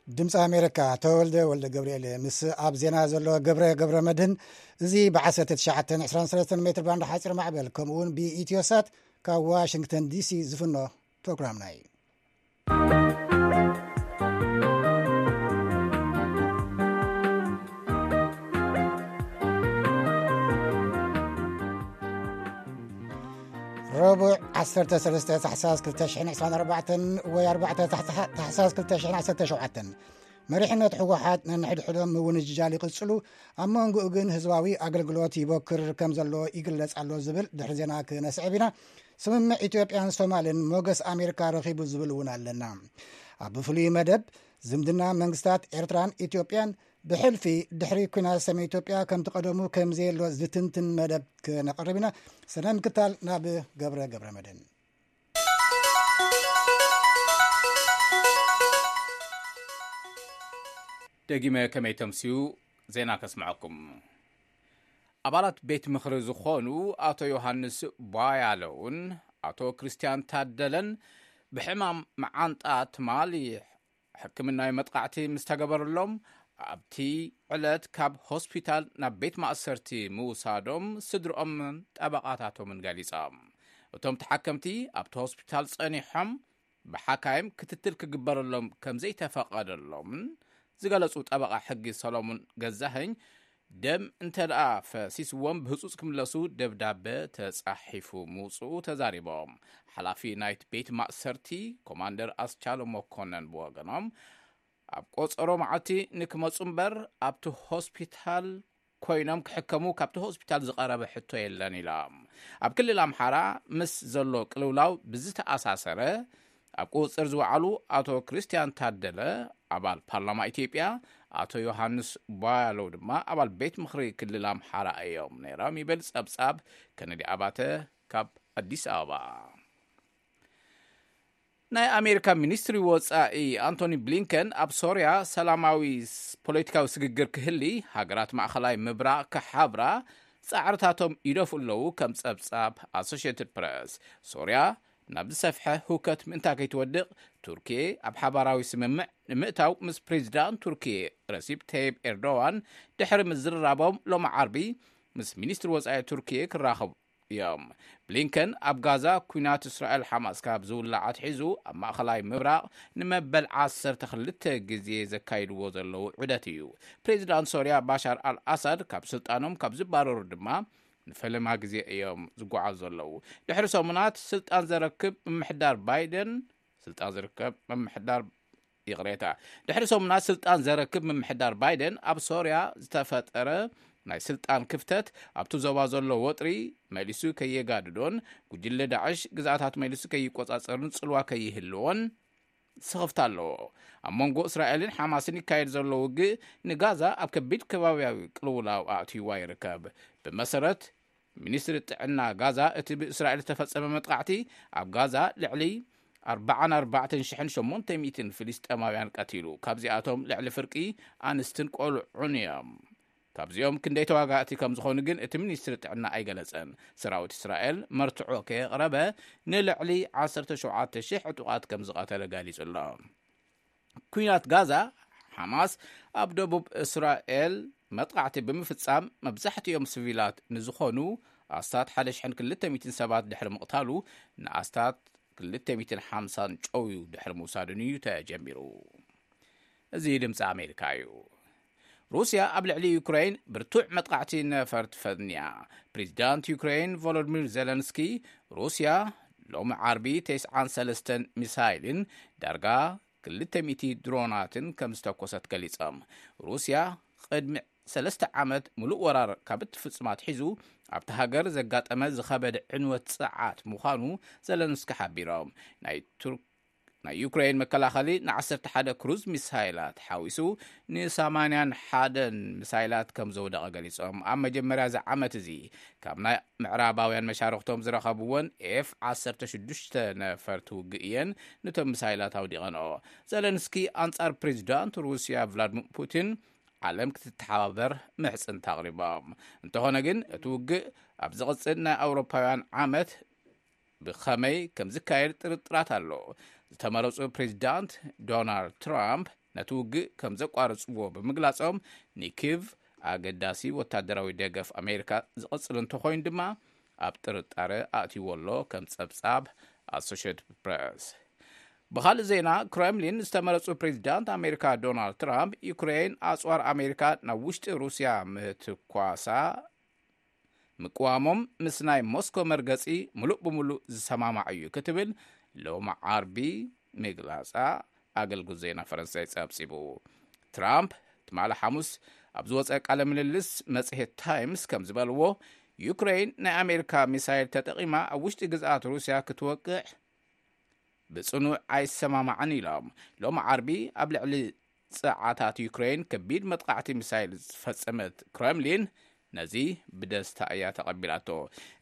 ድምፂ ኣሜሪካ፣ ተወልደ ወልደ ገብርኤል። ምስ ኣብ ዜና ዘሎ ገብረ ገብረ መድህን። እዚ ብ1923 ሜትር ባንድ ሓፂር ማዕበል፣ ከምኡ እውን ብኢትዮሳት ካብ ዋሽንግተን ዲሲ ዝፍኖ ፕሮግራምና እዩ። ረቡዕ 13 ታሕሳስ 2024 ወይ 4 ታሕሳስ 2017፣ መሪሕነት ህወሓት ነንሕድሕዶም ምውንጃል ይቕጽሉ፣ ኣብ መንጎኡ ግን ህዝባዊ ኣገልግሎት ይቦክር ከም ዘሎ ይግለጽ ኣሎ ዝብል ድሕሪ ዜና ክነስዕብ ኢና። ስምምዕ ኢትዮጵያን ሶማልን ሞገስ ኣሜሪካ ረኺቡ ዝብል እውን ኣለና። ኣብ ፍሉይ መደብ፣ ዝምድና መንግስታት ኤርትራን ኢትዮጵያን ብሕልፊ ድሕሪ ኲናት ሰሜን ኢትዮጵያ ከምቲ ቀደሙ ከም ዘየሎ ዝትንትን መደብ ክነቕርብ ኢና። ስነ ምክታል ናብ ገብረ ገብረ መድህን። ደጊመ ከመይ ተምስዩ ዜና ከስምዐኩም። ኣባላት ቤት ምኽሪ ዝኾኑ ኣቶ ዮሃንስ ቧያለውን ኣቶ ክርስቲያን ታደለን ብሕማም መዓንጣ ትማሊ ሕክምናዊ መጥቃዕቲ ምስ ተገበረሎም፣ ኣብቲ ዕለት ካብ ሆስፒታል ናብ ቤት ማእሰርቲ ምውሳዶም ስድርኦምን ጠበቓታቶምን ገሊጾም። እቶም ተሓከምቲ ኣብቲ ሆስፒታል ጸኒሖም ብሓካይም ክትትል ክግበረሎም ከም ዘይተፈቐደሎምን ዝገለጹ ጠበቓ ሕጊ ሰሎሞን ገዛኸኝ፣ ደም እንተ ደኣ ፈሲስዎም ብህጹጽ ክምለሱ ደብዳበ ተጻሒፉ ምውጽኡ ተዛሪቦም። ሓላፊ ናይቲ ቤት ማእሰርቲ ኮማንደር ኣስቻሎ መኮነን ብወገኖም፣ ኣብ ቆጸሮ መዓልቲ ንክመጹ እምበር ኣብቲ ሆስፒታል ኮይኖም ክሕከሙ ካብቲ ሆስፒታል ዝቐረበ ሕቶ የለን ኢሎም። ኣብ ክልል ኣምሓራ ምስ ዘሎ ቅልውላው ብዝተኣሳሰረ ኣብ ቁጽጽር ዝወዓሉ ኣቶ ክርስቲያን ታደለ ኣባል ፓርላማ ኢትዮጵያ፣ ኣቶ ዮሃንስ ቧያለው ድማ ኣባል ቤት ምኽሪ ክልል ኣምሓራ እዮም ነይሮም ይብል ጸብጻብ ከነዲ ኣባተ ካብ ኣዲስ ኣበባ። ናይ ኣሜሪካ ሚኒስትሪ ወጻኢ ኣንቶኒ ብሊንከን ኣብ ሶርያ ሰላማዊ ስ-፣ ፖለቲካዊ ስግግር ክህሊ ሃገራት ማእኸላይ ምብራቕ ክሓብራ ጻዕርታቶም ይደፍኡ ኣለዉ፣ ከም ጸብጻብ ኣሶሽየትድ ፕረስ። ሶርያ ናብ ዝሰፍሐ ህውከት ምእንታ ከይትወድቕ ቱርኪየ ኣብ ሓባራዊ ስምምዕ ንምእታው ምስ ፕሬዚዳንት ቱርኪየ ረሲፕ ተይብ ኤርዶዋን ድሕሪ ምዝርራቦም ሎሚ ዓርቢ ምስ ሚኒስትሪ ወጻኢ ቱርኪየ ክራኸቡ እዮም። ብሊንከን ኣብ ጋዛ ኲናት እስራኤል ሓማስ ካብ ዝውላዕ ኣትሒዙ ኣብ ማእኸላይ ምብራቕ ንመበል 12 ግዜ ዘካይድዎ ዘለዉ ዑደት እዩ። ፕሬዚዳንት ሶርያ ባሻር ኣል ኣሳድ ካብ ስልጣኖም ካብ ዝባረሩ ድማ ንፈለማ ግዜ እዮም ዝጓዓዙ ዘለዉ። ድሕሪ ሰሙናት ስልጣን ዘረክብ ምምሕዳር ባይደን፣ ስልጣን ዝርከብ ምምሕዳር፣ ይቕሬታ፣ ድሕሪ ሰሙናት ስልጣን ዘረክብ ምምሕዳር ባይደን ኣብ ሶርያ ዝተፈጠረ ናይ ስልጣን ክፍተት ኣብቲ ዞባ ዘሎ ወጥሪ መሊሱ ከየጋድዶን ጉጅለ ዳዕሽ ግዝኣታት መሊሱ ከይቆጻጸርን ጽልዋ ከይህልዎን ስኽፍታ ኣለዎ። ኣብ መንጎ እስራኤልን ሓማስን ይካየድ ዘሎ ውግእ ንጋዛ ኣብ ከቢድ ከባብያዊ ቅልውላው ኣእትይዋ ይርከብ። ብመሰረት ሚኒስትሪ ጥዕና ጋዛ፣ እቲ ብእስራኤል ዝተፈጸመ መጥቃዕቲ ኣብ ጋዛ ልዕሊ 44,800 ፍልስጤማውያን ቀቲሉ፣ ካብዚኣቶም ልዕሊ ፍርቂ ኣንስትን ቆልዑን እዮም። ካብዚኦም ክንደይ ተዋጋእቲ ከም ዝኾኑ ግን እቲ ሚኒስትሪ ጥዕና ኣይገለጸን። ሰራዊት እስራኤል መርትዖ ከየቕረበ ንልዕሊ 17,000 ዕጡቓት ከም ዝቐተለ ገሊጹ ኣሎ። ኲናት ጋዛ፣ ሓማስ ኣብ ደቡብ እስራኤል መጥቃዕቲ ብምፍጻም መብዛሕትኦም ሲቪላት ንዝኾኑ ኣስታት 1,200 ሰባት ድሕሪ ምቕታሉ፣ ንኣስታት 250 ጨውዩ ድሕሪ ምውሳዱን እዩ ተጀሚሩ። እዚ ድምፂ ኣሜሪካ እዩ። ሩስያ ኣብ ልዕሊ ዩክሬን ብርቱዕ መጥቃዕቲ ነፈርቲ ፈንያ። ፕሬዚዳንት ዩክሬን ቮሎዲሚር ዜለንስኪ፣ ሩስያ ሎሚ ዓርቢ 93 ሚሳይልን ዳርጋ 200 ድሮናትን ከም ዝተኮሰት ገሊጾም። ሩስያ ቅድሚ ሰለስተ ዓመት ሙሉእ ወራር ካብ እትፍጽም ኣትሒዙ ኣብቲ ሃገር ዘጋጠመ ዝኸበደ ዕንወት ጽዓት ምዃኑ ዘለንስኪ ሓቢሮም። ናይ ቱርክ ናይ ዩክሬን መከላኸሊ ን ዓሰርተ ሓደ ክሩዝ ሚሳይላት ሓዊሱ ን ሰማንያን ሓደን ሚሳይላት ከም ዘውደቐ ገሊጾም። ኣብ መጀመርያ እዚ ዓመት እዚ ካብ ናይ ምዕራባውያን መሻርኽቶም ዝረኸብወን ኤፍ ዓሰርተ ሽዱሽተ ነፈርቲ ውግእ እየን ነቶም ሚሳይላት ኣውዲቐንኦ። ዘለንስኪ ኣንጻር ፕሬዚዳንት ሩስያ ቭላድሚር ፑቲን ዓለም ክትተሓባበር ምሕጽንታ ኣቕሪቦም። እንተኾነ ግን እቲ ውግእ ኣብ ዝቕጽል ናይ ኣውሮፓውያን ዓመት ብኸመይ ከም ዝካየድ ጥርጥራት ኣሎ። ዝተመረጹ ፕሬዚዳንት ዶናልድ ትራምፕ ነቲ ውግእ ከም ዘቋረጽዎ ብምግላጾም፣ ንኪቭ ኣገዳሲ ወታደራዊ ደገፍ ኣሜሪካ ዝቕጽል እንተኾይኑ ድማ ኣብ ጥርጣረ ኣእትይዎ ኣሎ፣ ከም ጸብጻብ ኣሶሽየትድ ፕረስ። ብኻልእ ዜና፣ ክሬምሊን ዝተመረጹ ፕሬዚዳንት ኣሜሪካ ዶናልድ ትራምፕ ዩክሬን ኣጽዋር ኣሜሪካ ናብ ውሽጢ ሩስያ ምትኳሳ ምቅዋሞም ምስ ናይ ሞስኮ መርገጺ ምሉእ ብምሉእ ዝሰማማዕ እዩ ክትብል ሎሚ ዓርቢ ምግላጻ ኣገልግሎት ዜና ፈረንሳይ ጸብጺቡ። ትራምፕ ትማሊ ሓሙስ ኣብ ዝወጸ ቃለ ምልልስ መጽሔት ታይምስ ከም ዝበልዎ፣ ዩክሬን ናይ ኣሜሪካ ሚሳይል ተጠቒማ ኣብ ውሽጢ ግዝኣት ሩስያ ክትወቅዕ ብጽኑዕ ኣይሰማማዕን ኢሎም። ሎሚ ዓርቢ ኣብ ልዕሊ ጸዓታት ዩክሬን ከቢድ መጥቃዕቲ ሚሳይል ዝፈጸመት ክረምሊን ነዚ ብደስታ እያ ተቐቢላቶ።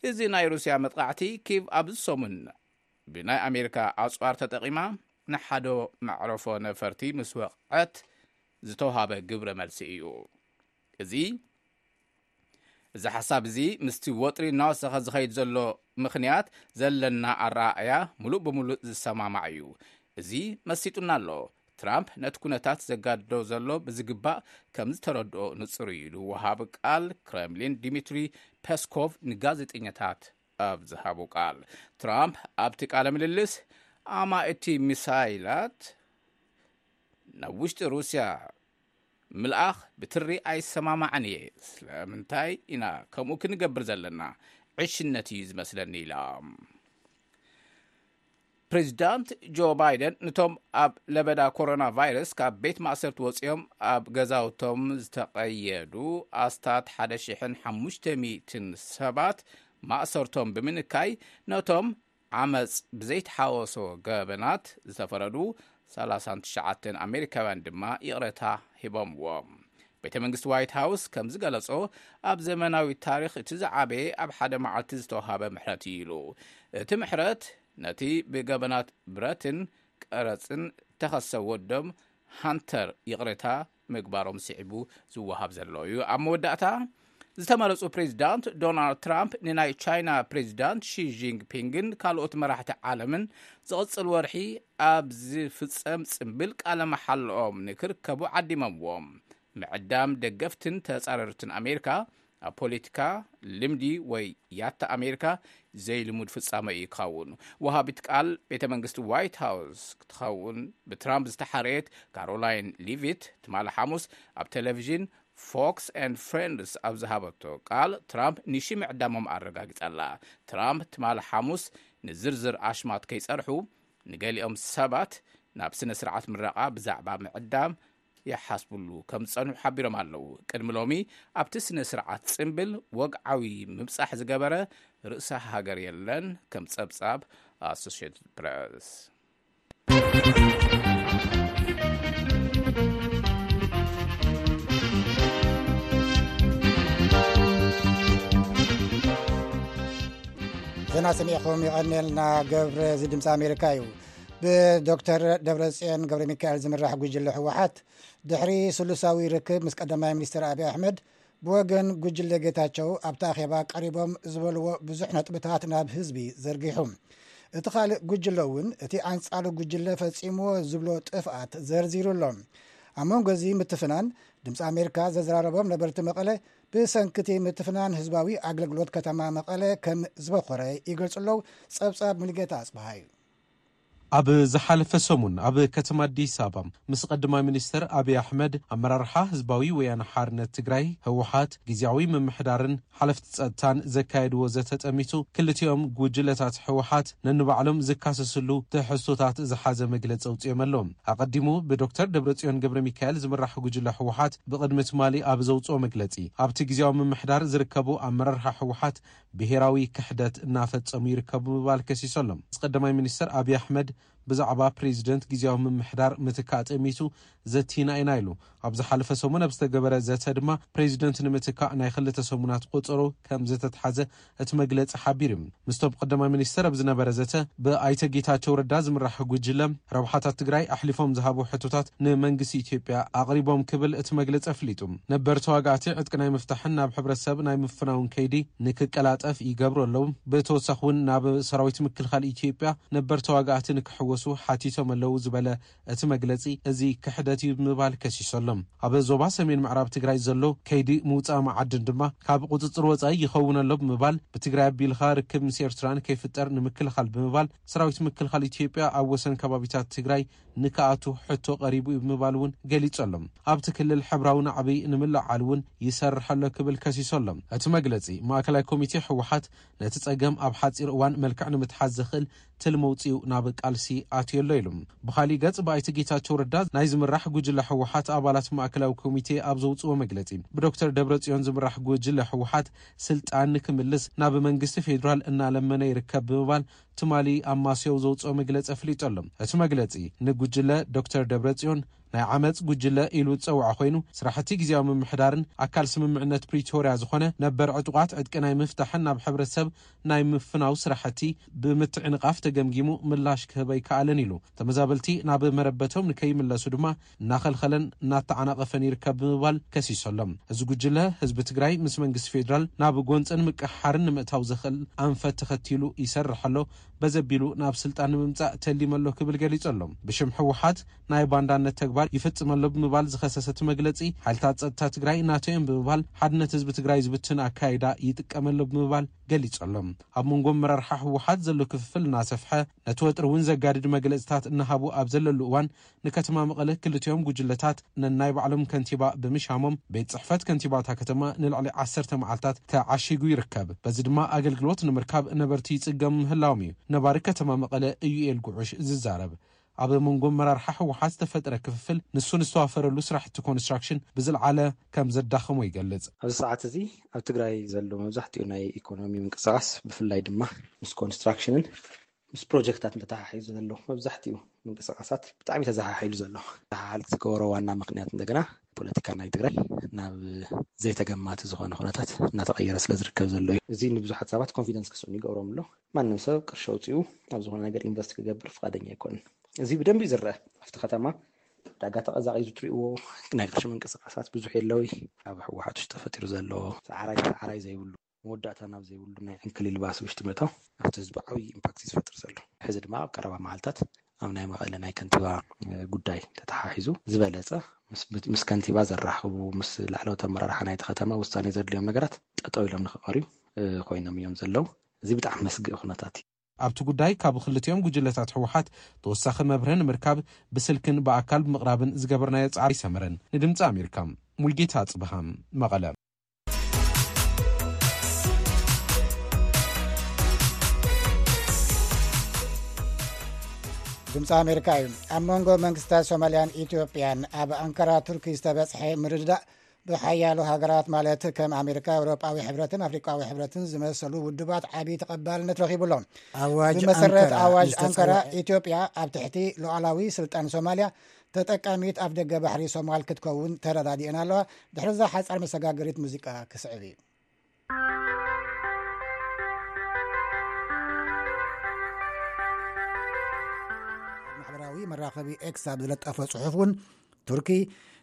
እዚ ናይ ሩስያ መጥቃዕቲ፣ ኪቭ ኣብዚ ሰሙን ብናይ ኣሜሪካ ኣጽዋር ተጠቒማ ንሓዶ መዕረፎ ነፈርቲ ምስ ወቕዐት ዝተውሃበ ግብረ መልሲ እዩ። እዚ እዚ ሓሳብ እዚ ምስቲ ወጥሪ እናወሰኸ ዝኸይድ ዘሎ ምኽንያት ዘለና ኣረኣእያ ምሉእ ብምሉእ ዝሰማማዕ እዩ። እዚ መሲጡና ኣሎ። ትራምፕ ነቲ ኩነታት ዘጋድዶ ዘሎ ብዝግባእ ከም ዝተረድኦ ንጹር እዩ ኢሉ ወሃቢ ቃል ክረምሊን ዲሚትሪ ፔስኮቭ ንጋዜጠኛታት ኣብ ዝሃቦ ቃል። ትራምፕ ኣብቲ ቃለ ምልልስ ኣማእቲ ሚሳይላት ናብ ውሽጢ ሩስያ ምልኣኽ ብትሪ ኣይሰማማዕን እየ። ስለምንታይ ኢና ከምኡ ክንገብር ዘለና? ዕሽነት እዩ ዝመስለኒ ኢላ። ፕሬዚዳንት ጆ ባይደን ነቶም ኣብ ለበዳ ኮሮና ቫይረስ ካብ ቤት ማእሰርቲ ወፂኦም ኣብ ገዛውቶም ዝተቐየዱ ኣስታት ሓደ ሽሕን ሓሙሽተ ሚእትን ሰባት ማእሰርቶም ብምንካይ፣ ነቶም ዓመፅ ብዘይተሓወሶ ገበናት ዝተፈረዱ ሰላሳን ትሽዓተን ኣሜሪካውያን ድማ ይቕረታ ሂቦምዎም። ቤተ መንግስቲ ዋይት ሃውስ ከም ዝገለጾ፣ ኣብ ዘመናዊ ታሪኽ እቲ ዝዓበየ ኣብ ሓደ መዓልቲ ዝተዋሃበ ምሕረት እዩ ኢሉ። እቲ ምሕረት ነቲ ብገበናት ብረትን ቀረጽን ተኸሰ ወዶም ሃንተር ይቕሬታ ምግባሮም ስዒቡ ዝወሃብ ዘሎ እዩ። ኣብ መወዳእታ፣ ዝተመረጹ ፕሬዚዳንት ዶናልድ ትራምፕ ንናይ ቻይና ፕሬዚዳንት ሺ ጂንፒንግን ካልኦት መራሕቲ ዓለምን ዝቕጽል ወርሒ ኣብ ዝፍጸም ጽምብል ቃለ መሓልኦም ንክርከቡ ዓዲሞምዎም። ምዕዳም ደገፍትን ተጻረርትን ኣሜሪካ ኣብ ፖለቲካ ልምዲ ወይ ያታ ኣሜሪካ ዘይልሙድ ፍጻመ እዩ ክኸውን። ወሃቢት ቃል ቤተ መንግስቲ ዋይት ሃውስ ክትኸውን ብትራምፕ ዝተሓረየት ካሮላይን ሊቪት ትማሊ ሓሙስ ኣብ ቴሌቪዥን ፎክስ ኤንድ ፍሬንድስ ኣብ ዝሃበቶ ቃል፣ ትራምፕ ንሺ ምዕዳሞም ኣረጋጊጻ ኣላ። ትራምፕ ትማሊ ሓሙስ ንዝርዝር ኣሽማት ከይጸርሑ፣ ንገሊኦም ሰባት ናብ ስነ ስርዓት ምረቓ ብዛዕባ ምዕዳም ይሓስብሉ ከም ዝጸንሑ ሓቢሮም ኣለዉ። ቅድሚ ሎሚ ኣብቲ ስነ ስርዓት ጽምብል ወግዓዊ ምብጻሕ ዝገበረ ርእሰ ሃገር የለን፣ ከም ጸብጻብ ኣሶሽየትድ ፕረስ። ዜና ሰሚዕኹም የቐንየልና። ገብረ፣ እዚ ድምፂ ኣሜሪካ እዩ። ብዶክተር ደብረጽዮን ገብረ ሚካኤል ዝምራሕ ጉጅለ ህወሓት ድሕሪ ስሉሳዊ ርክብ ምስ ቀዳማይ ሚኒስትር ኣብይ ኣሕመድ፣ ብወገን ጉጅለ ጌታቸው ኣብቲ ኣኼባ ቀሪቦም ዝበልዎ ብዙሕ ነጥብታት ናብ ህዝቢ ዘርጊሑ። እቲ ካልእ ጉጅለ እውን እቲ ኣንጻሩ ጉጅለ ፈጺምዎ ዝብሎ ጥፍኣት ዘርዚሩ ኣሎ። ኣብ መንጎ እዚ ምትፍናን፣ ድምፂ ኣሜሪካ ዘዘራረቦም ነበርቲ መቐለ፣ ብሰንኪ እቲ ምትፍናን ህዝባዊ ኣገልግሎት ከተማ መቐለ ከም ዝበኾረ ይገልጹ ኣለዉ። ጸብጻብ ሙሉጌታ ኣጽብሃ እዩ። ኣብ ዝሓለፈ ሰሙን ኣብ ከተማ ኣዲስ ኣበባ ምስ ቀዳማይ ሚኒስትር ኣብይ ኣሕመድ፣ ኣመራርሓ ህዝባዊ ወያነ ሓርነት ትግራይ ህወሓት፣ ግዝያዊ ምምሕዳርን ሓለፍቲ ጸጥታን ዘካየድዎ ዘተ ጠሚቱ፣ ክልቲኦም ጉጅለታት ህወሓት ነንባዕሎም ዝካሰስሉ ትሕዝቶታት ዝሓዘ መግለጺ ኣውጺኦም ኣለዉ። ኣቐዲሙ ብዶክተር ደብረጽዮን ገብረ ሚካኤል ዝምራሕ ጉጅለ ህወሓት ብቕድሚ ትማሊ ኣብ ዘውጽኦ መግለጺ፣ ኣብቲ ግዝያዊ ምምሕዳር ዝርከቡ ኣመራርሓ ህወሓት ብሄራዊ ክሕደት እናፈጸሙ ይርከቡ ብምባል ከሲሱ ኣሎ። ምስ ቀዳማይ ሚኒስትር ኣብይ ኣሕመድ ብዛዕባ ፕሬዚደንት ግዜያዊ ምምሕዳር ምትካእ ጠሚቱ ዘቲና ኢና ኢሉ። ኣብ ዝሓለፈ ሰሙን ኣብ ዝተገበረ ዘተ ድማ ፕሬዚደንት ንምትካእ ናይ ክልተ ሰሙናት ቆጸሮ ከም ዝተትሓዘ እቲ መግለጺ ሓቢሩ። ምስቶም ቀዳማይ ሚኒስተር ኣብ ዝነበረ ዘተ ብኣይተ ጌታቸው ረዳ ዝምራሕ ጉጅለ ረብሓታት ትግራይ ኣሕሊፎም ዝሃቡ ሕቶታት ንመንግስቲ ኢትዮጵያ ኣቕሪቦም ክብል እቲ መግለጺ ኣፍሊጡ። ነበር ተዋጋእቲ ዕጥቂ ናይ ምፍታሕን ናብ ሕብረተሰብ ናይ ምፍናውን ከይዲ ንክቀላጠፍ ይገብሩ ኣለዉ። ብተወሳኺ እውን ናብ ሰራዊት ምክልኻል ኢትዮጵያ ነበር ተዋጋእቲ ንክሕወሱ ሓቲቶም ኣለዉ ዝበለ እቲ መግለጺ፣ እዚ ክሕደት እዩ ብምባል ከሲሱ ኣሎ። ኣብ ዞባ ሰሜን ምዕራብ ትግራይ ዘሎ ከይዲ ምውፃእ መዓድን ድማ ካብ ቁፅፅር ወፃኢ ይኸውን ኣሎ ብምባል፣ ብትግራይ ኣቢልካ ርክብ ምስ ኤርትራ ንከይፍጠር ንምክልኻል ብምባል፣ ሰራዊት ምክልኻል ኢትዮጵያ ኣብ ወሰን ከባቢታት ትግራይ ንክኣቱ ሕቶ ቀሪቡ እዩ ብምባል እውን ገሊጹ ኣሎ። ኣብቲ ክልል ሕብራዊ ናዕቢ ንምልዓል እውን ይሰርሕ ኣሎ ክብል ከሲሱ ኣሎ። እቲ መግለጺ፣ ማእከላይ ኮሚቴ ህወሓት ነቲ ጸገም ኣብ ሓጺር እዋን መልክዕ ንምትሓዝ ዘኽእል ትልሚ ኣውጺኡ ናብ ቃልሲ ኣትዩ ኣሎ ኢሉ። ብኻሊእ ገጽ፣ ብኣይተ ጌታቸው ረዳ ናይ ዝምራሕ ጉጅለ ህወሓት ኣባላት ማእከላዊ ኮሚቴ ኣብ ዘውጽዎ መግለጺ፣ ብዶክተር ደብረጽዮን ዝምራሕ ጉጅለ ህወሓት ስልጣን ንክምልስ ናብ መንግስቲ ፌዴራል እናለመነ ይርከብ ብምባል ትማሊ ኣብ ማስዮ ዘውጽኦ መግለጺ ኣፍሊጡ ኣሎ። እቲ መግለጺ፣ ንጉጅለ ዶክተር ደብረጽዮን ናይ ዓመጽ ጉጅለ ኢሉ ዝጸውዖ ኮይኑ፣ ስራሕቲ ግዜያዊ ምምሕዳርን ኣካል ስምምዕነት ፕሪቶርያ ዝኾነ ነበር ዕጡቓት ዕጥቂ ናይ ምፍታሕን ናብ ሕብረተሰብ ናይ ምፍናው ስራሕቲ ብምትዕንቓፍ ተገምጊሙ ምላሽ ክህብ ኣይከኣለን ኢሉ። ተመዛበልቲ ናብ መረበቶም ንከይምለሱ ድማ እናኸልኸለን እናተዓናቐፈን ይርከብ ብምባል ከሲሱ ኣሎ። እዚ ጉጅለ ህዝቢ ትግራይ ምስ መንግስቲ ፌዴራል ናብ ጎንፅን ምቅሕሓርን ንምእታው ዘኽእል ኣንፈት ተኸቲሉ ይሰርሕ ኣሎ፣ በዘቢሉ ናብ ስልጣን ንምምፃእ ተሊሙ ኣሎ ክብል ገሊጹ ኣሎ። ብሽም ህወሓት ናይ ባንዳነት ተግባር ይፍጽም ኣሎ ብምባል ዝኸሰሰ እቲ መግለጺ፣ ሓይልታት ጸጥታ ትግራይ ናቶ እዮም ብምባል ሓድነት ህዝቢ ትግራይ ዝብትን ኣካይዳ ይጥቀም ኣሎ ብምባል ገሊጹ ኣሎ። ኣብ መንጎ ኣመራርሓ ህወሓት ዘሎ ክፍፍል እናሰፍሐ፣ ነቲ ወጥሪ እውን ዘጋድድ መግለጽታት እናሃቡ ኣብ ዘለሉ እዋን፣ ንከተማ መቐለ ክልቲኦም ጉጅለታት ነናይ ባዕሎም ከንቲባ ብምሻሞም፣ ቤት ጽሕፈት ከንቲባ እታ ከተማ ንልዕሊ ዓሰርተ መዓልታት ተዓሺጉ ይርከብ። በዚ ድማ ኣገልግሎት ንምርካብ ነበርቲ ይጽገሙ ምህላዎም እዩ ነባሪ ከተማ መቐለ እዩኤል ጉዑሽ ዝዛረብ። ኣብ መንጎ ኣመራርሓ ህወሓት ዝተፈጠረ ክፍፍል፣ ንሱ ንዝተዋፈረሉ ስራሕቲ ኮንስትራክሽን ብዝለዓለ ከም ዘዳኸሞ ይገልጽ። ኣብዚ ሰዓት እዚ ኣብ ትግራይ ዘሎ መብዛሕትኡ ናይ ኢኮኖሚ ምንቅስቃስ፣ ብፍላይ ድማ ምስ ኮንስትራክሽንን ምስ ፕሮጀክታት ተተሓሒዙ ዘሎ መብዛሕትኡ ምንቅስቃሳት ብጣዕሚ ተዘሓሒሉ ዘሎ። ተሓሓል ዝገበሮ ዋና ምኽንያት እንደገና ፖለቲካ ናይ ትግራይ ናብ ዘይተገማቲ ዝኾነ ኩነታት እናተቐየረ ስለ ዝርከብ ዘሎ እዩ። እዚ ንብዙሓት ሰባት ኮንፊደንስ ክስእኑ ይገብሮም ኣሎ። ማንም ሰብ ቅርሺ ኣውፂኡ ኣብ ዝኾነ ነገር ኢንቨስት ክገብር ፍቓደኛ ኣይኮንን። እዚ ብደንቢ እዩ ዝረአ። ኣብቲ ከተማ ዕዳጋ ተቐዛቒዙ ትሪእዎ፣ ናይ ቅርሺ ምንቅስቃሳት ብዙሕ የለዊ። ኣብ ህወሓት ውሽጢ ተፈጢሩ ዘሎ ሰዓራይ ሰዓራይ ዘይብሉ፣ መወዳእታ ናብ ዘይብሉ ናይ ዕንክሊል ባስ ውሽጢ ምእታው ኣብቲ ህዝቢ ዓብዪ ኢምፓክት እዩ ዝፈጥር ዘሎ። ሕዚ ድማ ኣብ ቀረባ መዓልታት ኣብ ናይ መቐለ ናይ ከንቲባ፣ እ፣ ጉዳይ ተተሓሒዙ ዝበለጸ ምስ፣ ምስ ከንቲባ ዘራኽቡ፣ ምስ ላዕለዎት ኣመራርሓ ናይቲ ከተማ ውሳኔ ዘድልዮም ነገራት ጠጠው ኢሎም ንክቐርዩ፣ እ፣ ኮይኖም እዮም ዘለዉ። እዚ ብጣዕሚ መስግእ ኩነታት እዩ። ኣብቲ ጉዳይ ካብ ክልቲኦም ጉጅለታት ህወሓት ተወሳኺ መብርሂ ንምርካብ ብስልክን ብኣካል ብምቕራብን ዝገበርናዮ ጻዕሪ ኣይሰመረን። ንድምጺ ኣሜሪካ፣ ሙልጌታ ጽብሃ፣ መቐለ። ድምፂ ኣሜሪካ እዩ። ኣብ መንጎ መንግስታት ሶማልያን ኢትዮጵያን ኣብ ኣንካራ ቱርኪ ዝተበፅሐ ምርድዳእ ብሓያሎ ሃገራት ማለት ከም ኣሜሪካ፣ ኤውሮጳዊ ሕብረትን ኣፍሪቃዊ ሕብረትን ዝመሰሉ ውድባት ዓቢ ተቐባልነት ረኺቡ ኣሎ። ኣዋጅ ብመሰረት ኣንካራ ኣዋጅ ዝተጸውዐ ኣንካራ፣ ኢትዮጵያ ኣብ ትሕቲ ሉዓላዊ ስልጣን ሶማልያ ተጠቃሚት ኣፍ ደገ ባሕሪ ሶማል ክትከውን ተረዳዲአን ኣለዋ። ድሕሪ እዛ ሓጻር መሰጋገሪት ሙዚቃ ክስዕብ እዩ። ማሕበራዊ መራኸቢ ኤክስ ኣብ ዝለጠፎ ጽሑፍ እውን፣ ቱርኪ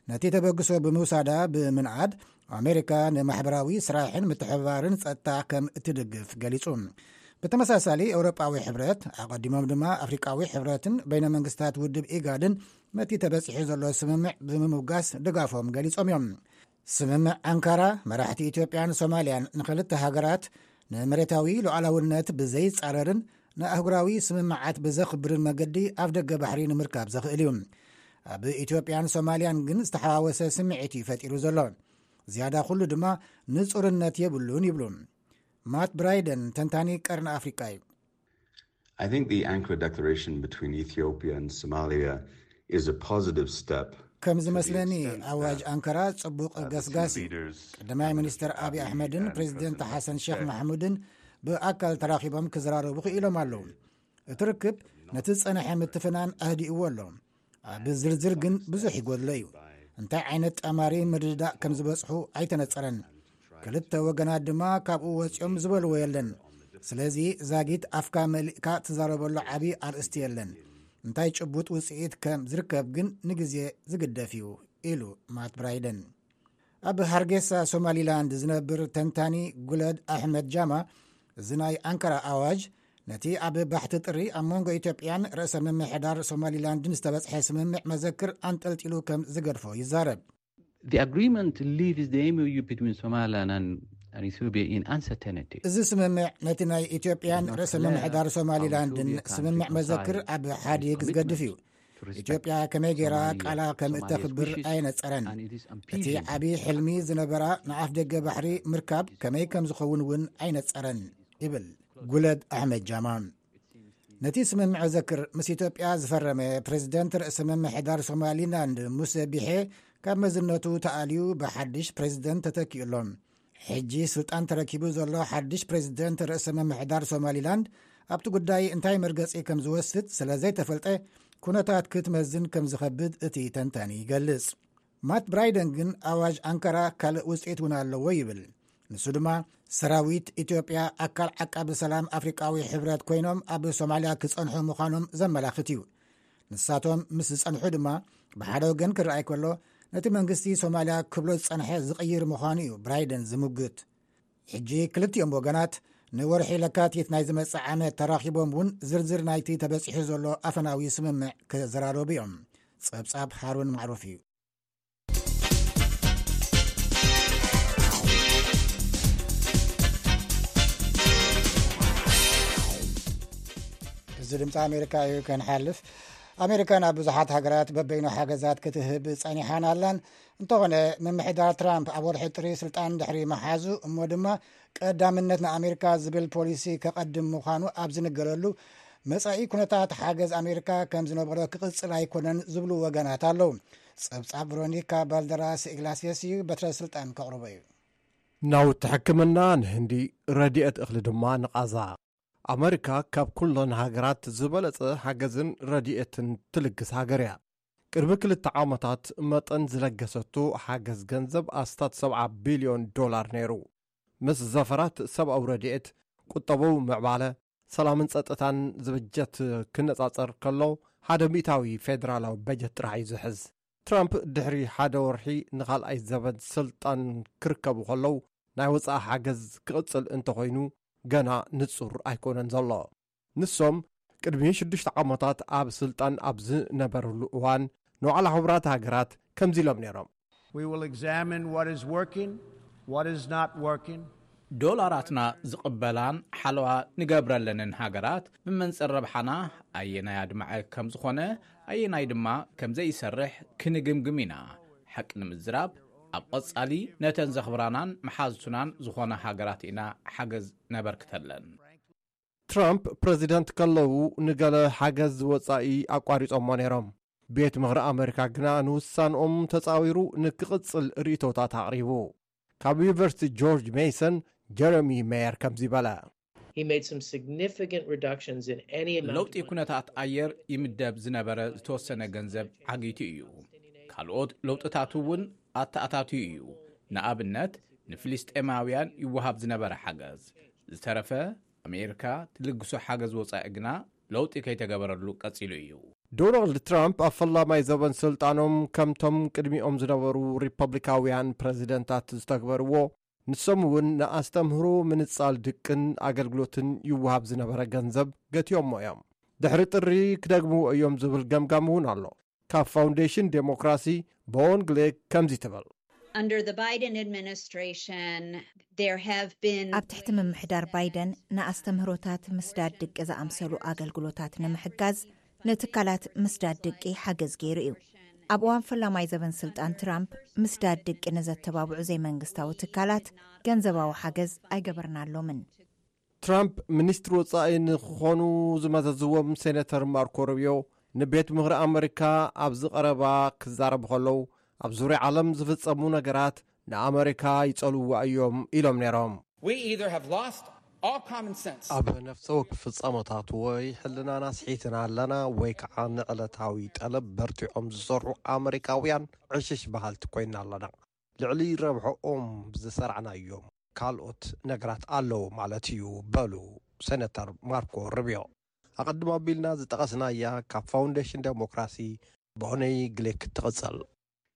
ነቲ ተበግሶ ብምውሳዳ ብምንዓድ፣ ኣሜሪካ ንማሕበራዊ ስራሕን ምትሕብባርን ጸጥታ ከም እትድግፍ ገሊጹ። ብተመሳሳሊ፣ ኤውሮጳዊ ሕብረት፣ ኣቐዲሞም ድማ ኣፍሪቃዊ ሕብረትን በይነ መንግስታት ውድብ ኢጋድን ነቲ ተበጺሑ ዘሎ ስምምዕ ብምምጋስ ድጋፎም ገሊጾም እዮም። ስምምዕ ኣንካራ፣ መራሕቲ ኢትዮጵያን ሶማልያን ንኽልተ ሃገራት ንመሬታዊ ሉዓላውነት ብዘይጻረርን ንኣህጉራዊ ስምምዓት ብዘኽብርን መገዲ ኣፍ ደገ ባሕሪ ንምርካብ ዘኽእል እዩ። ኣብ ኢትዮጵያን ሶማልያን ግን ዝተሓዋወሰ ስምዒት እዩ ፈጢሩ ዘሎ። ዝያዳ ኩሉ ድማ ንጹርነት የብሉን ይብሉ። ማት ብራይደን ተንታኒ ቀርኒ ኣፍሪቃ እዩ። I think the Ankara declaration between Ethiopia and Somalia is a positive step. ከም ዝመስለኒ፣ ኣዋጅ ኣንካራ ጽቡቕ ገስጋስ እዩ። ቀዳማይ ሚኒስትር ኣብይ ኣሕመድን ፕሬዚደንት ሓሰን ሼክ ማሕሙድን ብኣካል ተራኺቦም ክዘራረቡ ክኢሎም ኣለዉ። እቲ ርክብ ነቲ ዝጸንሐ ምትፍናን ኣህዲእዎ ኣሎ። ኣብ ዝርዝር ግን ብዙሕ ይጎድሎ እዩ። እንታይ ዓይነት ጣማሪ ምርድዳእ ከም ዝበጽሑ ኣይተነጸረን። ክልተ ወገናት ድማ ካብኡ ወጺኦም ዝበልዎ የለን። ስለዚ ዛጊት ኣፍካ መሊእካ ትዛረበሉ ዓቢ ኣርእስቲ የለን። እንታይ ጭቡጥ ውጽኢት ከም ዝርከብ ግን ንግዜ ዝግደፍ እዩ ኢሉ ማት ብራይደን። ኣብ ሃርጌሳ ሶማሊላንድ ዝነብር ተንታኒ ጉለድ ኣሕመድ ጃማ፣ እዚ ናይ ኣንካራ ኣዋጅ ነቲ ኣብ ባሕቲ ጥሪ ኣብ መንጎ ኢትዮጵያን ርእሰ ምምሕዳር ሶማሊላንድን ዝተበጽሐ ስምምዕ መዘክር ኣንጠልጢሉ ከም ዝገድፎ ይዛረብ። The agreement leaves the M O U between Somaliland and, and Ethiopia in uncertainty. እዚ ስምምዕ ነቲ ናይ ኢትዮጵያን ርእሰ ምምሕዳር ሶማሊላንድን ስምምዕ መዘክር ኣብ ሓዲግ ዝገድፍ እዩ። ኢትዮጵያ ከመይ ገይራ ቃላ ከም እተኽብር ኣየነጸረን። እቲ ዓቢ ሕልሚ ዝነበራ ንኣፍ ደገ ባሕሪ ምርካብ ከመይ ከም ዝኸውን እውን ኣይነጸረን ይብል ጉለድ ኣሕመድ ጃማ። ነቲ ስምምዕ ዘክር ምስ ኢትዮጵያ ዝፈረመ ፕሬዝደንት ርእሰ ምምሕዳር ሶማሊላንድ ሙሴ ቢሔ ካብ መዝነቱ ተኣልዩ ብሓድሽ ፕሬዝደንት ተተኪኡ ኣሎ። ሕጂ ስልጣን ተረኪቡ ዘሎ ሓድሽ ፕሬዝደንት ርእሰ ምምሕዳር ሶማሊላንድ ኣብቲ ጉዳይ እንታይ መርገጺ ከም ዝወስድ ስለ ዘይተፈልጠ ኩነታት ክትመዝን ከም ዝኸብድ እቲ ተንታኒ ይገልጽ። ማት ብራይደን ግን ኣዋጅ ኣንካራ ካልእ ውጽኢት እውን ኣለዎ ይብል። ንሱ ድማ ሰራዊት ኢትዮጵያ ኣካል ዓቃቢ ሰላም ኣፍሪቃዊ ሕብረት ኮይኖም ኣብ ሶማልያ ክጸንሑ ምዃኖም ዘመላኽት እዩ። ንሳቶም ምስ ዝጸንሑ ድማ ብሓደ ወገን ክረኣይ ከሎ ነቲ መንግስቲ ሶማልያ ክብሎ ዝጸንሐ ዝቕይር ምዃኑ እዩ ብራይደን ዝምጉት። ሕጂ ክልቲኦም ወገናት ንወርሒ ለካቲት ናይ ዝመጽእ ዓመት ተራኺቦም እውን ዝርዝር ናይቲ ተበጺሑ ዘሎ ኣፈናዊ ስምምዕ ክዘራረቡ እዮም። ጸብጻብ ሃሩን ማዕሩፍ እዩ። እዚ ድምፂ ኣሜሪካ እዩ። ከንሓልፍ፣ ኣሜሪካ ናብ ብዙሓት ሃገራት በበይኑ ሓገዛት ክትህብ ጸኒሓን ኣላን። እንተኾነ፣ ምምሕዳር ትራምፕ ኣብ ወርሒ ጥሪ ስልጣን ድሕሪ መሓዙ እሞ ድማ ቀዳምነት ንኣሜሪካ ዝብል ፖሊሲ ከቐድም ምዃኑ ኣብ ዝንገረሉ፣ መጻኢ ኩነታት ሓገዝ ኣሜሪካ ከም ዝነበሮ ክቕጽል ኣይኮነን ዝብሉ ወገናት ኣለዉ። ጸብጻብ ቨሮኒካ ባልደራስ ኢግላሲየስ እዩ። በትረ ስልጣን ከቕርቦ እዩ። ናውቲ ሕክምና ንህንዲ፣ ረድኤት እኽሊ ድማ ንቓዛ። ኣመሪካ ካብ ኩለን ሃገራት ዝበለጸ ሓገዝን ረድኤትን ትልግስ ሃገር እያ። ቅድሚ ክልተ ዓመታት መጠን ዝለገሰቶ ሓገዝ ገንዘብ ኣስታት ሰብዓ ቢልዮን ዶላር ነይሩ። ምስ ዘፈራት ሰብኣዊ ረድኤት፣ ቁጠባዊ ምዕባለ፣ ሰላምን ጸጥታን ዝብጀት ክነጻጸር ከሎ፣ ሓደ ሚእታዊ ፌደራላዊ በጀት ጥራሕ እዩ ዝሕዝ። ትራምፕ ድሕሪ ሓደ ወርሒ ንኻልኣይ ዘበን ስልጣን ክርከቡ ከለዉ፣ ናይ ወጻኢ ሓገዝ ክቕጽል እንተኾይኑ ገና ንጹር ኣይኮነን ዘሎ። ንሶም ቅድሚ ሽዱሽተ ዓመታት ኣብ ስልጣን ኣብ ዝነበርሉ እዋን፣ ንዋዕላ ሕቡራት ሃገራት ከምዚ ኢሎም ነይሮም። We will examine what is working, what is not working. ዶላራትና ዝቕበላን ሓለዋ ንገብረለንን ሃገራት ብመንጽር ረብሓና ኣየናይ ኣድማዒ ከም ዝኾነ፣ ኣየናይ ድማ ከም ዘይሰርሕ ክንግምግም ኢና። ሓቂ ንምዝራብ፣ ኣብ ቐጻሊ ነተን ዘኽብራናን መሓዝቱናን ዝኾና ሃገራት ኢና ሓገዝ ነበርክተለን። ትራምፕ ፕረዚደንት ከለዉ ንገለ ሓገዝ ወጻኢ ኣቋሪጾሞ ነይሮም። ቤት ምኽሪ ኣመሪካ ግና ንውሳንኦም ተጻዊሩ ንክቕጽል ርእይቶታት ኣቕሪቡ። ካብ ዩኒቨርሲቲ ጆርጅ ሜይሰን ጀረሚ ሜየር ከምዚ በለ። He made some significant reductions in any amount ለውጢ of money. ኩነታት ኣየር ይምደብ ዝነበረ ዝተወሰነ ገንዘብ ዓጊቱ እዩ። ካልኦት ለውጥታት እውን ኣተኣታትዩ እዩ። ንኣብነት፣ ንፍልስጤማውያን ይወሃብ ዝነበረ ሓገዝ። ዝተረፈ ኣሜሪካ ትልግሶ ሓገዝ ወጻኢ ግና ለውጢ ከይተገበረሉ ቀጺሉ እዩ። ዶናልድ ትራምፕ ኣብ ፈላማይ ዘበን ስልጣኖም ከምቶም ቅድሚኦም ዝነበሩ ሪፐብሊካውያን ፕረዚደንታት ዝተግበርዎ፣ ንሶም እውን ንኣስተምህሮ ምንጻል ድቅን ኣገልግሎትን ይወሃብ ዝነበረ ገንዘብ ገቲዮሞ እዮም። ድሕሪ ጥሪ ክደግምዎ እዮም ዝብል ገምጋም እውን ኣሎ። ካብ ፋውንዴሽን ዴሞክራሲ ቦን ግሌክ ከምዚ ትብል። Under the Biden administration, there have been ኣብ ትሕቲ ምምሕዳር ባይደን ንኣስተምህሮታት ምስዳድ ድቂ ዝኣምሰሉ ኣገልግሎታት ንምሕጋዝ ንትካላት ምስዳድ ድቂ ሓገዝ ገይሩ እዩ። ኣብ እዋን ፈላማይ ዘበን ስልጣን ትራምፕ ምስዳድ ድቂ ንዘተባብዑ ዘይመንግስታዊ ትካላት ገንዘባዊ ሓገዝ ኣይገበርናሎምን። ትራምፕ ሚኒስትሪ ወጻኢ ንክኾኑ ዝመዘዝዎም ሴኔተር ማርኮ ሩቢዮ ንቤት ምኽሪ ኣመሪካ ኣብዚ ቀረባ ክዛረቡ ከለዉ፣ ኣብ ዙርያ ዓለም ዝፍጸሙ ነገራት ንኣመሪካ ይጸልውዋ እዮም ኢሎም ነይሮም። We either have lost All common sense. ኣብ ነፍሰ ወከፍ ፍጻመታት ወይ ሕልናና ስሒትና ኣለና ወይ ከዓ ንዕለታዊ ጠለብ በርቲዖም ዝሰርሑ ኣመሪካውያን ዕሽሽ በሃልቲ ኮይና ኣለና። ልዕሊ ረብሖኦም ዝሰርዕናዮም ካልኦት ነገራት ኣለዉ ማለት እዩ፣ በሉ ሰነተር ማርኮ ሩቢዮ። ኣቐድም ኣቢልና ዝጠቐስናያ ካብ ፋውንዴሽን ዴሞክራሲ ቦነይ ግሌክ ትቕጽል።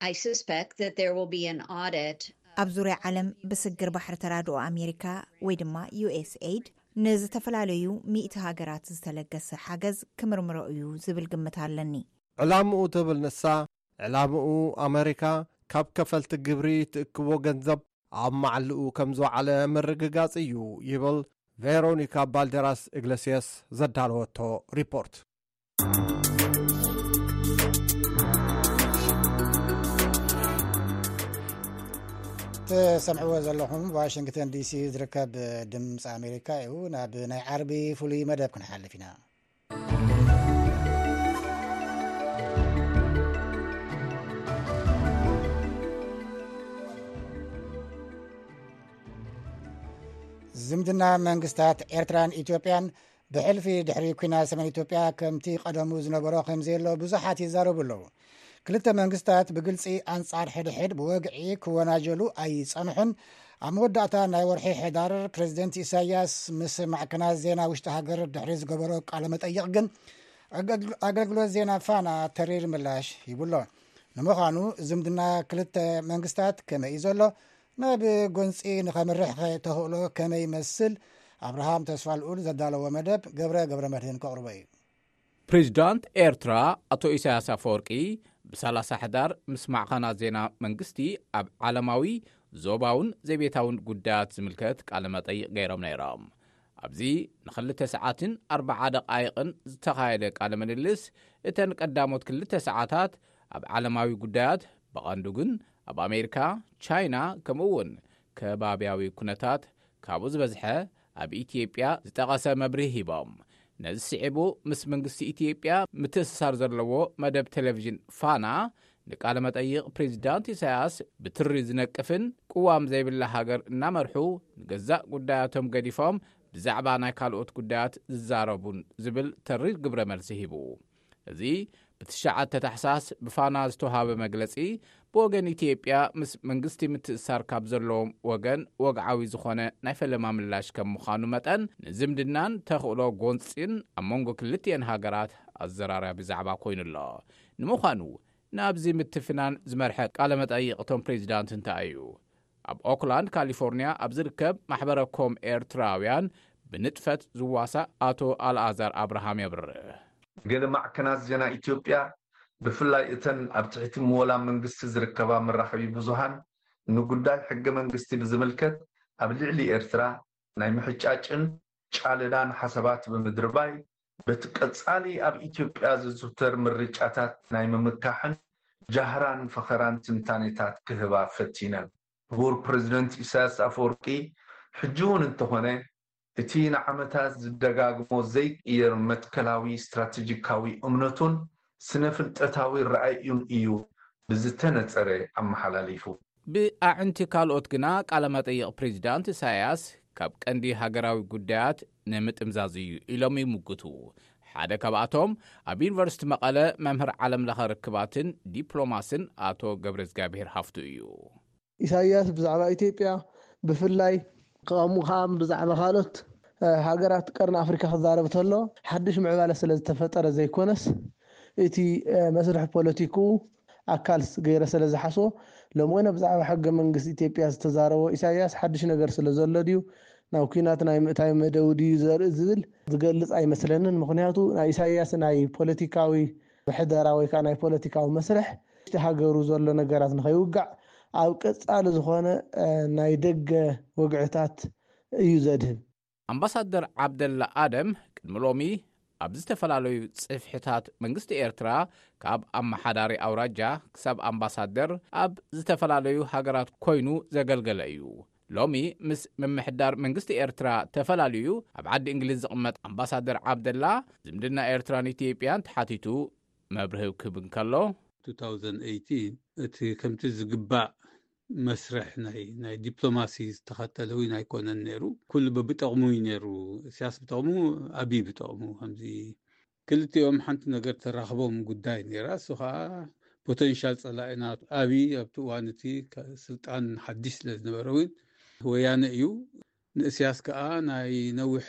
I suspect that there will be an audit. ኣብ ዙርያ ዓለም ብስግር ባሕሪ ተራድኦ ኣሜሪካ ወይ ድማ ዩ ኤስ ኤይድ ንዝተፈላለዩ ሚእቲ ሃገራት ዝተለገሰ ሓገዝ ክምርምሮ እዩ ዝብል ግምት ኣለኒ። ዕላምኡ ትብል ንሳ፣ ዕላምኡ ኣመሪካ ካብ ከፈልቲ ግብሪ ትእክቦ ገንዘብ ኣብ መዓልኡ ከም ዝወዓለ ምርግጋጽ እዩ ይብል ቬሮኒካ ባልደራስ ኢግለሲየስ ዘዳለወቶ ሪፖርት። ትሰምዕዎ ዘለኹም ዋሽንግተን ዲሲ ዝርከብ ድምፂ ኣሜሪካ እዩ። ናብ ናይ ዓርቢ ፍሉይ መደብ ክንሓልፍ ኢና። ዝምድና መንግስታት ኤርትራን ኢትዮጵያን ብሕልፊ ድሕሪ ኩናት ሰሜን ኢትዮጵያ ከምቲ ቀደሙ ዝነበሮ ከምዘየሎ ብዙሓት ይዛረቡ ኣለዉ። ክልተ መንግስታት ብግልጺ ኣንጻር ሕድሕድ ብወግዒ ክወናጀሉ ኣይጸንሑን። ኣብ መወዳእታ ናይ ወርሒ ሕዳር ፕሬዚደንት ኢሳያስ ምስ ማዕከናት ዜና ውሽጢ ሃገር ድሕሪ ዝገበሮ ቃለ መጠይቕ ግን ኣገልግሎት ዜና ፋና ተሪር ምላሽ ሂቡሎ። ንምዃኑ ዝምድና ክልተ መንግስታት ከመይ እዩ ዘሎ? ናብ ጎንፂ ንኸምርሕ ተኽእሎ ከመይ ይመስል? ኣብርሃም ተስፋ ልኡል ዘዳለዎ መደብ ገብረ ገብረ መድህን ከቕርቦ እዩ። ፕሬዚዳንት ኤርትራ ኣቶ ኢሳያስ ኣፈወርቂ ብሰላሳ ሕዳር ምስ ማዕኸናት ዜና መንግስቲ ኣብ ዓለማዊ ዞባውን ዘቤታውን ጉዳያት ዝምልከት ቃለ መጠይቕ ገይሮም ነይሮም። ኣብዚ ንክልተ ሰዓትን ኣርባዓ ደቓይቕን ዝተኻየደ ቃለ ምልልስ፣ እተን ቀዳሞት ክልተ ሰዓታት ኣብ ዓለማዊ ጉዳያት፣ ብቐንዱ ግን ኣብ ኣሜሪካ፣ ቻይና፣ ከምኡ እውን ከባብያዊ ኩነታት፣ ካብኡ ዝበዝሐ ኣብ ኢትዮጵያ ዝጠቐሰ መብርሂ ሂቦም። ነዚ ስዒቡ ምስ መንግስቲ ኢትዮጵያ ምትእስሳር ዘለዎ መደብ ቴሌቪዥን ፋና ንቃለ መጠይቕ ፕሬዚዳንት ኢሳያስ ብትሪ ዝነቅፍን ቅዋም ዘይብላ ሃገር እናመርሑ ንገዛእ ጉዳያቶም ገዲፎም ብዛዕባ ናይ ካልኦት ጉዳያት ዝዛረቡን ዝብል ተሪር ግብረ መልሲ ሂቡ። እዚ ብትሽዓተ ታሕሳስ ብፋና ዝተውሃበ መግለጺ ብወገን ኢትዮጵያ ምስ መንግስቲ ምትእሳር ካብ ዘለዎም ወገን ወግዓዊ ዝኾነ ናይ ፈለማ ምላሽ ከም ምዃኑ መጠን ንዝምድናን ተኽእሎ ጎንጺን ኣብ መንጎ ክልቲኤን ሃገራት ኣዘራራቢ ዛዕባ ኮይኑ ኣሎ። ንምዃኑ ናብዚ ምትፍናን ዝመርሐ ቃለ መጠይቕ እቶም ፕሬዚዳንት እንታይ እዩ? ኣብ ኦክላንድ ካሊፎርኒያ ኣብ ዝርከብ ማሕበረ ኮም ኤርትራውያን ብንጥፈት ዝዋሳእ ኣቶ ኣልኣዛር ኣብርሃም የብርህ። ገለ ማዕከናት ዜና ኢትዮጵያ ብፍላይ እተን ኣብ ትሕቲ ምወላ መንግስቲ ዝርከባ መራኸቢ ብዙሃን ንጉዳይ ሕገ መንግስቲ ብዝምልከት ኣብ ልዕሊ ኤርትራ ናይ ምሕጫጭን ጫለዳን ሓሳባት ብምድርባይ በቲ ቀጻሊ ኣብ ኢትዮጵያ ዝዝውተር ምርጫታት ናይ ምምካሕን ጃህራን ፈኸራን ትንታኔታት ክህባ ፈቲነን። ክቡር ፕሬዚደንት ኢሳያስ ኣፈወርቂ ሕጂ እውን እንተኾነ እቲ ንዓመታት ዝደጋግሞ ዘይቅየር መትከላዊ ስትራቴጂካዊ እምነቱን ስነ ፍልጠታዊ ረኣዩን እዩ ብዝተነጸረ ኣመሓላሊፉ። ብኣዕንቲ ካልኦት ግና ቃለ መጠይቕ ፕሬዚዳንት ኢሳያስ ካብ ቀንዲ ሃገራዊ ጉዳያት ንምጥምዛዝ እዩ ኢሎም ይምጉቱ። ሓደ ካብኣቶም ኣብ ዩኒቨርሲቲ መቐለ መምህር ዓለም ለኸ ርክባትን ዲፕሎማስን ኣቶ ገብረዝጋብሔር ሃፍቱ እዩ። ኢሳያስ ብዛዕባ ኢትዮጵያ ብፍላይ ከምኡ ከዓ ብዛዕባ ካልኦት ሃገራት ቀርኒ ኣፍሪካ ክዛረብ ተሎ ሓድሽ ምዕባለ ስለ ዝተፈጠረ ዘይኮነስ እቲ መስርሕ ፖለቲክኡ ኣካል ገይረ ስለ ዝሓስቦ ሎምወነ ብዛዕባ ሕገ መንግስቲ ኢትዮጵያ ዝተዛረቦ ኢሳያስ ሓድሽ ነገር ስለ ዘሎ ድዩ ናብ ኲናት ናይ ምእታይ መደቡ ድዩ ዘርኢ ዝብል ዝገልፅ ኣይመስለንን። ምክንያቱ ናይ ኢሳያስ ናይ ፖለቲካዊ ምሕደራ ወይ ከዓ ናይ ፖለቲካዊ መስርሕ እቲ ሃገሩ ዘሎ ነገራት ንኸይውጋዕ ኣብ ቀፃሊ ዝኾነ ናይ ደገ ወግዕታት እዩ ዘድህብ። ኣምባሳደር ዓብደላ ኣደም ቅድሚ ሎሚ ኣብ ዝተፈላለዩ ጽፍሕታት መንግስቲ ኤርትራ ካብ ኣመሓዳሪ ኣውራጃ ክሳብ ኣምባሳደር ኣብ ዝተፈላለዩ ሃገራት ኮይኑ ዘገልገለ እዩ። ሎሚ ምስ ምምሕዳር መንግስቲ ኤርትራ ተፈላልዩ ኣብ ዓዲ እንግሊዝ ዝቕመጥ ኣምባሳደር ዓብደላ ዝምድና ኤርትራን ኢትዮጵያን ተሓቲቱ መብርሂ ክህብ እንከሎ፣ እቲ ከምቲ ዝግባእ መስርሕ ናይ ናይ ዲፕሎማሲ ዝተኸተለ እውን ኣይኮነን ነይሩ። ኩሉ በብጠቕሙ እዩ ነይሩ። ኢሳያስ ብጠቕሙ፣ ኣቢይ ብጠቕሙ። ከምዚ ክልቲኦም ሓንቲ ነገር ተራኽቦም ጉዳይ ነይራ። እሱ ከዓ ፖተንሻል ጸላኢና። ኣቢይ ኣብቲ እዋን እቲ ከ- ስልጣን ሓድሽ ስለ ዝነበረ እውን ወያነ እዩ። ንእስያስ ከዓ ናይ ነዊሕ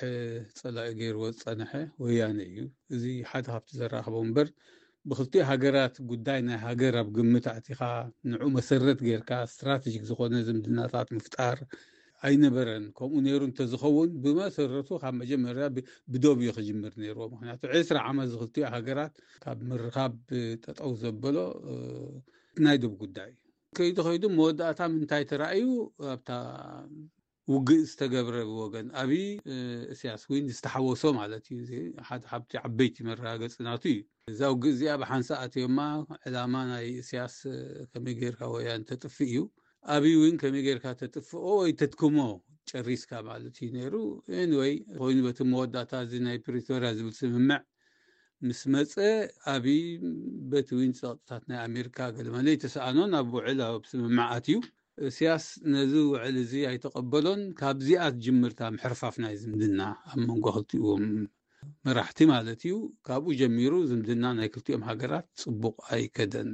ጸላኢ ገይርዎ ዝጸንሐ ወያነ እዩ። እዚ ሓደ ካብቲ ዘራኽቦ እምበር፣ ብክልቲኡ ሃገራት ጉዳይ ናይ ሃገር ኣብ ግምት ኣእቲኻ ንዑ መሰረት ጌርካ ስትራቴጂክ ዝኾነ ዝምድናታት ምፍጣር ኣይነበረን። ከምኡ ነይሩ እንተዝኸውን፣ ብመሰረቱ ካብ መጀመርያ ብ- ብዶብ እዩ ክጅምር ነይርዎ። ምክንያቱ ዕስራ ዓመት ዝክልቲኡ ሃገራት ካብ ምርኻብ ጠጠው ዘበሎ እ፣ ናይ ዶብ ጉዳይ ከይዱ ከይዱ መወዳእታ ምንታይ ተራእዩ ኣብታ ውግእ ዝተገብረ ብወገን ኣብይ እ፣ እስያስ ዊን ዝተሓወሶ ማለት እዩ። እዚ ሓደ ካብቲ ዓበይቲ መረጋገፂ ናቱ እዩ። እዛ ውግእ እዚኣ ብሓንሳእ ኣትዮማ ዕላማ ናይ እስያስ እ፣ ከመይ ጌርካ ወያን ተጥፍእ እዩ። ኣብይ እውን ከመይ ጌርካ ተጥፍኦ ወይ ተትክሞ ጨሪስካ ማለት እዩ ነይሩ። ኤኒወይ ኮይኑ በቲ መወዳእታ እዚ ናይ ፕሪቶርያ ዝብል ስምምዕ ምስ መፀ ኣብይ በቲ እውን ፀቕጥታት ናይ ኣሜሪካ ገለመለ ይተሰኣኖ ናብ ውዕል ኣብ ስምምዓት እዩ። እስያስ ነዚ ውዕል እዚ ኣይተቐበሎን። ካብዚኣ ትጅምርታ ምሕርፋፍ ናይ ዝምድና ኣብ መንጎ ክልቲኦም መራሕቲ ማለት እዩ። ካብኡ ጀሚሩ ዝምድና ናይ ክልቲኦም ሃገራት ፅቡቕ ኣይከደን።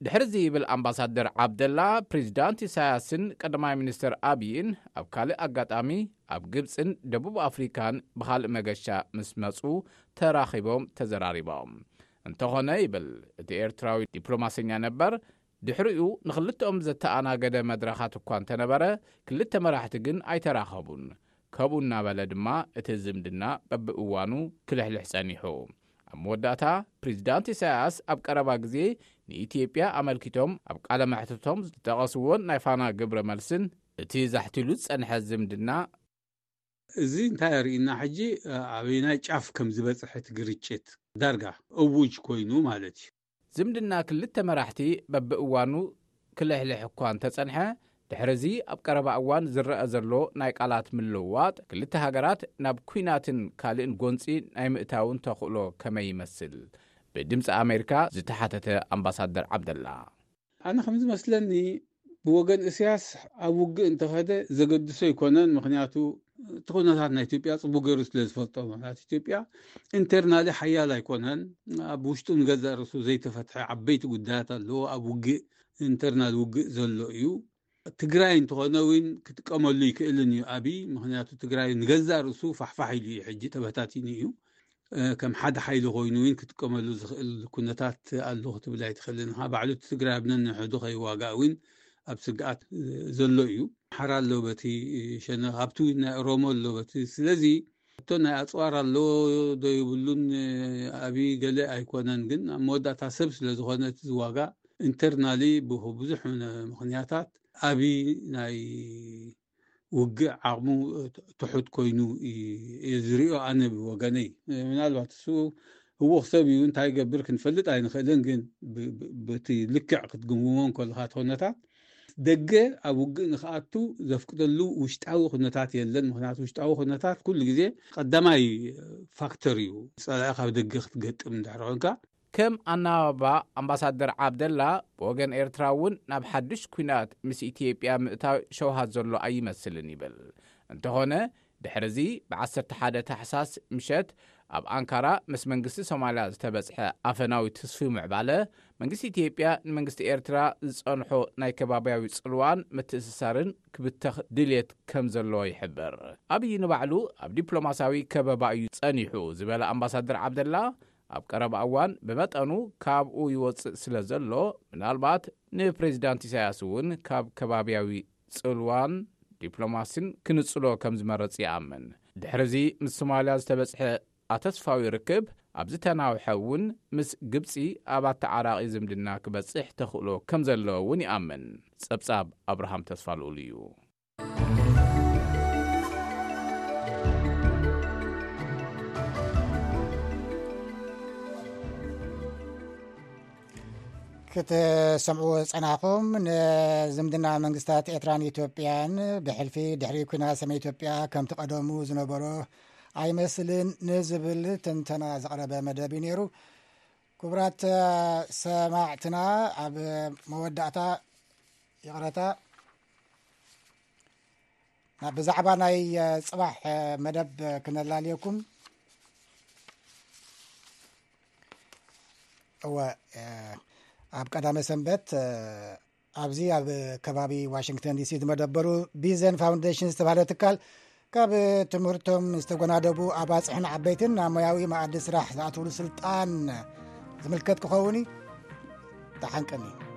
ድሕርዚ ይብል ኣምባሳደር ዓብደላ፣ ፕሬዚዳንት ኢሳያስን ቀዳማይ ሚኒስትር ኣብይን ኣብ ካልእ ኣጋጣሚ ኣብ ግብፅን ደቡብ ኣፍሪካን ብኻልእ መገሻ ምስ መፁ ተራኺቦም ተዘራሪቦም። እንተኾነ ይብል እቲ ኤርትራዊ ዲፕሎማሰኛ ነበር፣ ድሕሪኡ ንክልተኦም ዘተኣናገደ መድረኻት እኳ እንተነበረ፣ ክልተ መራሕቲ ግን ኣይተራኸቡን። ከምኡ እናበለ ድማ እቲ ዝምድና በብእዋኑ ክልሕልሕ ጸኒሑ። ኣብ መወዳእታ ፕሬዚዳንት ኢሳያስ ኣብ ቀረባ ግዜ ንኢትዮጵያ ኣመልኪቶም ኣብ ቃለ መሕትቶም ዝጠቐስዎን ናይ ፋና ግብረ መልስን እቲ ዛሕቲሉ ዝጸንሐ ዝምድና እዚ እንታይ የርእና ሕጂ? ኣበይናይ ጫፍ ከም ዝበፅሐ እቲ ግርጭት ዳርጋ እውጅ ኮይኑ ማለት እዩ። ዝምድና ክልተ መራሕቲ በብእዋኑ ክልሕልሕ እኳ እንተጸንሐ፣ ድሕርዚ ኣብ ቀረባ እዋን ዝረአ ዘሎ ናይ ቃላት ምልውዋጥ ክልተ ሃገራት ናብ ኲናትን ካልእን ጎንጺ ናይ ምእታውን ተኽእሎ ከመይ ይመስል? ብድምፂ ኣሜሪካ ዝተሓተተ ኣምባሳደር ዓብደላ። ኣነ ከም ዝመስለኒ ብወገን እስያስ ኣብ ውግእ እንተኸደ ዘገድሶ ኣይኮነን። ምክንያቱ እቲ ኩነታት ናይ ኢትዮጵያ ጽቡቅ ገይሩ ስለ ዝፈልጦ። ምክንያቱ ኢትዮጵያ ኢንተርናሊ ሓያል ኣይኮነን። ኣብ ውሽጡ ንገዛእ ርእሱ ዘይተፈትሐ ዓበይቲ ጉዳያት ኣለዎ። ኣብ ውግእ ኢንተርናል ውግእ ዘሎ እዩ። ትግራይ እንተኾነ እውን ክጥቀመሉ ይክእልን እዩ ኣብይ። ምክንያቱ ትግራይ ንገዛእ ርእሱ ፋሕፋሕ ኢሉ እዩ፣ ሕጂ ተበታቲኑ እዩ። ከም ሓደ ሓይሊ ኮይኑ እውን ክጥቀመሉ ዝኽእል ኩነታት ኣሎ ክትብል ኣይትኽእልን ኢኻ። ባዕሉ እቲ ትግራይ ኣብ ነንሕዱ ከይዋጋእ እውን ኣብ ስግኣት ዘሎ እዩ። ሓራ ኣሎ በቲ ሸነኽ፣ ኣብቲ እውን ናይ ኦሮሞ ኣሎ በቲ። ስለዚ እቶ ናይ ኣፅዋር ኣሎ ዶ ይብሉን ኣብይ ገለ ኣይኮነን፣ ግን ኣብ መወዳእታ ሰብ ስለ ዝኾነ እቲ ዝዋጋእ ኢንተርናሊ ብብዙሕ ምክንያታት ኣብይ ናይ ውግእ ዓቕሙ ትሑት ኮይኑ እየ ዝሪኦ ኣነ ብወገነይ። ምናልባት እሱ ህውኽ ሰብ እዩ፣ እንታይ ይገብር ክንፈልጥ ኣይንኽእልን። ግን በቲ ልክዕ ክትግምግሞ እንከለኻ እቲ ኩነታት ደገ ኣብ ውግእ ንክኣቱ ዘፍቅደሉ ውሽጣዊ ኩነታት የለን። ምክንያቱ ውሽጣዊ ኩነታት ኩሉ ግዜ ቀዳማይ ፋክተር እዩ። ፀላኢ ካብ ደገ ክትገጥም እንድሕር ኮንካ ከም ኣናባባ ኣምባሳደር ዓብደላ፣ ብወገን ኤርትራ እውን ናብ ሓድሽ ኲናት ምስ ኢትዮጵያ ምእታው ሸውሃት ዘሎ ኣይመስልን ይብል። እንተኾነ ድሕርዚ ብ11 ታሕሳስ ምሸት ኣብ ኣንካራ ምስ መንግስቲ ሶማልያ ዝተበጽሐ ኣፈናዊ ትስፊ ምዕባለ፣ መንግስቲ ኢትዮጵያ ንመንግስቲ ኤርትራ ዝጸንሖ ናይ ከባብያዊ ጽልዋን ምትእስሳርን ክብተኽ ድልየት ከም ዘለዎ ይሕብር። ኣብይ ንባዕሉ ኣብ ዲፕሎማሲያዊ ከበባ እዩ ጸኒሑ ዝበለ ኣምባሳደር ዓብደላ፣ ኣብ ቀረባ እዋን ብመጠኑ ካብኡ ይወጽእ ስለ ዘሎ፣ ምናልባት ንፕሬዚዳንት ኢሳያስ እውን ካብ ከባብያዊ ጽልዋን ዲፕሎማሲን ክንጽሎ ከም ዝመረጽ ይኣምን። ድሕርዚ ምስ ሶማልያ ዝተበጽሐ ኣተስፋዊ ርክብ ኣብ ዝተናውሐ እውን ምስ ግብጺ ኣብ ኣተዓራቒ ዝምድና ክበጽሕ ተኽእሎ ከም ዘለዎ እውን ይኣምን። ጸብጻብ ኣብርሃም ተስፋ ልኡል እዩ። ክትሰምዕዎ ዝጸናኹም፣ ንዝምድና መንግስታት ኤርትራን ኢትዮጵያን ብሕልፊ ድሕሪ ኲናት ሰሜን ኢትዮጵያ ከምቲ ቀደሙ ዝነበሮ ኣይመስልን ንዝብል ትንተና ዘቕረበ መደብ እዩ ነይሩ። ክቡራት ሰማዕትና፣ ኣብ መወዳእታ፣ ይቕረታ፣ ብዛዕባ ናይ ጽባሕ መደብ ክነላልየኩም። እወ፣ ኣብ ቀዳመ ሰንበት ኣብዚ ኣብ ከባቢ ዋሽንግተን ዲሲ ዝመደበሩ ቢዘን ፋውንዴሽን ዝተባህለ ትካል ካብ ትምህርቶም ዝተጎናደቡ ኣባፅሕን ዓበይትን ናብ ሞያዊ መኣዲ ስራሕ ዝኣትውሉ ስልጣን ዝምልከት ክኸውን እዩ። ተሓንቀኒ።